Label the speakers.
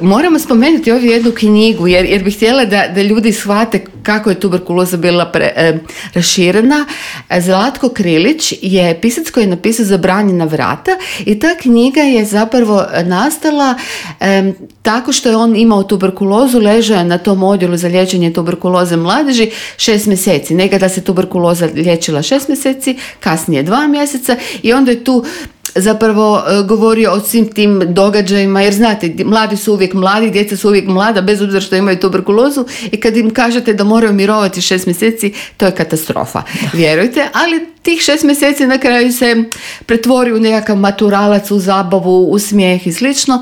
Speaker 1: Moramo spomenuti ovdje jednu knjigu jer bih htjela da ljudi shvate kako je tuberkuloza bila raširena. Zlatko Krilić je pisac koji je napisao Zabranjena vrata i ta knjiga je zapravo nastala tako što je on imao tuberkulozu, ležao je na tom odjelu za liječenje tuberkuloze mladeži 6 mjeseci. Nekada se tuberkuloza liječila 6 mjeseci, kasnije 2 mjeseca i onda je tu zapravo govorio o svim tim događajima, jer znate, mladi su uvijek mladi, djeca su uvijek mlada, bez obzira što imaju tuberkulozu i kad im kažete da moraju mirovati 6 mjeseci, to je katastrofa, vjerujte, ali tih 6 mjeseci na kraju se pretvori u nekakav maturalac, u zabavu, u smijeh i slično,